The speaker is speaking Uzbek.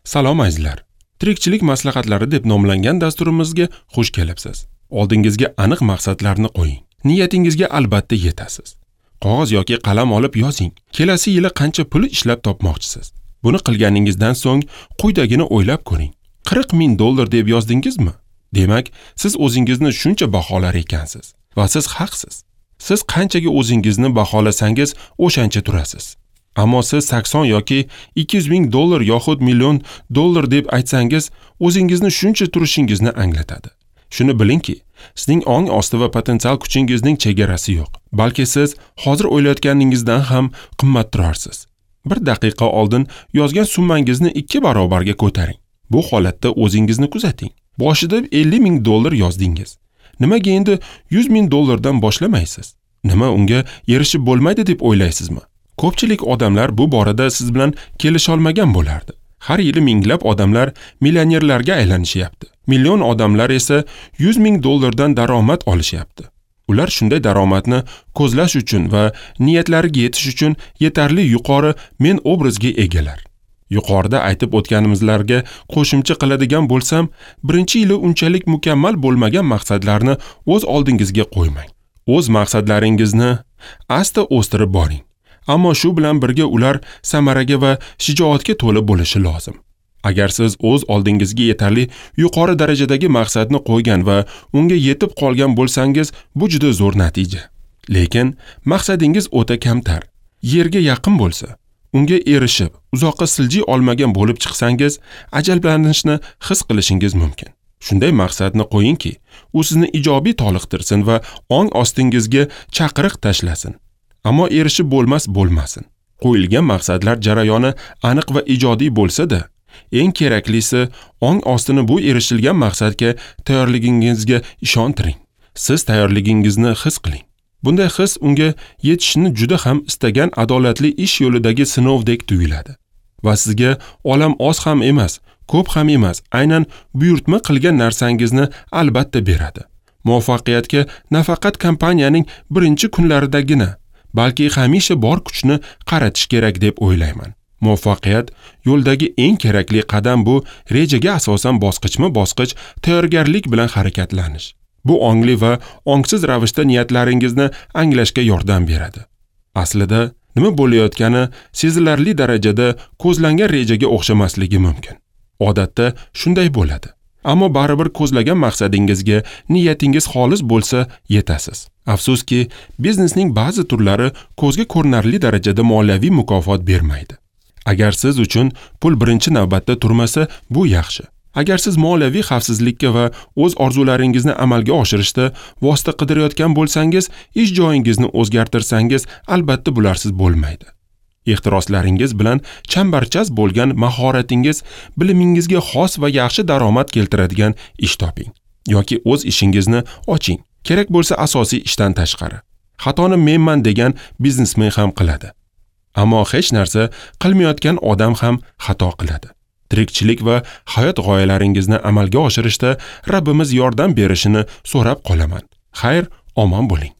Salom azizlar. Tirikchilik maslahatlari deb nomlangan dasturimizga xush kelibsiz. Oldingizga aniq maqsadlarni qo'ying. Niyatingizga albatta yetasiz. Qog'oz yoki qalam olib yozing. Kelasi yili qancha pul ishlab topmoqchisiz? Buni qilganingizdan so'ng quyidagini o'ylab ko'ring. 40 ming dollar deb yozdingizmi? Demak, siz o'zingizni shuncha baholar ekansiz va siz haqsiz. Siz qanchaga o'zingizni baholasangiz, o'shancha turasiz. Ammo siz 80 yoki 200 ming dollar yoxud million dollar deb aytsangiz, o'zingizni shuncha turishingizni anglatadi. Shuni bilingki, sizning ong osti va potensial kuchingizning chegarasi yo'q. Balki siz hozir o'ylayotganingizdan ham qimmat turarsiz. Bir daqiqa oldin yozgan summangizni 2 barobarga ko'taring. Bu holatda o'zingizni kuzating. Boshida 50 ming dollar yozdingiz. Nimaga endi 100 ming dollardan boshlamaysiz? Nima unga erishib bo'lmaydi deb o'ylaysizmi? Ko'pchilik odamlar bu borada siz bilan kelisha olmagan bo'lardi. Har yili minglab odamlar millionerlarga aylanishyapti. Million odamlar esa 100 ming dollardan daromad olishyapti. Ular shunday daromadni ko'zlash uchun va niyatlariga yetish uchun yetarli yuqori men obrazga egalar. Yuqorida aytib o'tganimizlarga qo'shimcha qiladigan bo'lsam, birinchi yili unchalik mukammal bo'lmagan maqsadlarni o'z oldingizga qo'ymang. O'z maqsadlaringizni asta o'stirib boring. Ammo shu bilan birga ular samaraga va shijoatga to'la bo'lishi lozim. Agar siz o'z oldingizga yetarli yuqori darajadagi maqsadni qo'ygan va unga yetib qolgan bo'lsangiz, bu juda zo'r natija. Lekin maqsadingiz o'ta kamtar, yerga yaqin bo'lsa, unga erishib, uzoqqa siljiy olmagan bo'lib chiqsangiz, ajablanishni his qilishingiz mumkin. Shunday maqsadni qo'yingki, u sizni ijobiy toliqtirsin va ong ostingizga chaqiriq tashlasin. Ammo erishib bo'lmas bo'lmasin. Qo'yilgan maqsadlar jarayoni aniq va ijodiy bo'lsa-da, eng keraklisi ong ostini bu erishilgan maqsadga tayyorligingizga ishontiring. Siz tayyorligingizni his qiling. Bunday his unga yetishni juda ham istagan adolatli ish yo'lidagi sinovdek tuyuladi. Va sizga olam oz ham emas, ko'p ham emas, aynan buyurtma qilgan narsangizni albatta beradi. Muvaffaqiyatga nafaqat kompaniyaning birinchi kunlaridagina, balki hamisha bor kuchni qaratish kerak deb o'ylayman. Muvaffaqiyat yo'ldagi eng kerakli qadam bu rejaga asosan bosqichma-bosqich tayyorgarlik bilan harakatlanish. Bu ongli va ongsiz ravishda niyatlaringizni anglashga yordam beradi. Aslida nima bo'layotgani sezilarli darajada ko'zlangan rejaga o'xshamasligi mumkin. Odatda shunday bo'ladi. Ammo baribir ko'zlagan maqsadingizga niyatingiz xolis bo'lsa yetasiz. Afsuski, biznesning ba'zi turlari ko'zga ko'rinarli darajada moliyaviy mukofot bermaydi. Agar siz uchun pul birinchi navbatda turmasa, bu yaxshi. Agar siz moliyaviy xavfsizlikka va o'z orzularingizni amalga oshirishda vosita qidirayotgan bo'lsangiz, ish joyingizni o'zgartirsangiz, albatta bularsiz bo'lmaydi. Ehtiroslaringiz bilan chambarchas bo'lgan mahoratingiz, bilimingizga xos va yaxshi daromad keltiradigan ish toping yoki o'z ishingizni oching. Kerak bo'lsa asosiy ishdan tashqari. Xatoni menman degan biznesmen ham qiladi. Ammo hech narsa qilmayotgan odam ham xato qiladi. Tirikchilik va hayot g'oyalaringizni amalga oshirishda Rabbimiz yordam berishini so'rab qolaman. Xayr, omon bo'ling.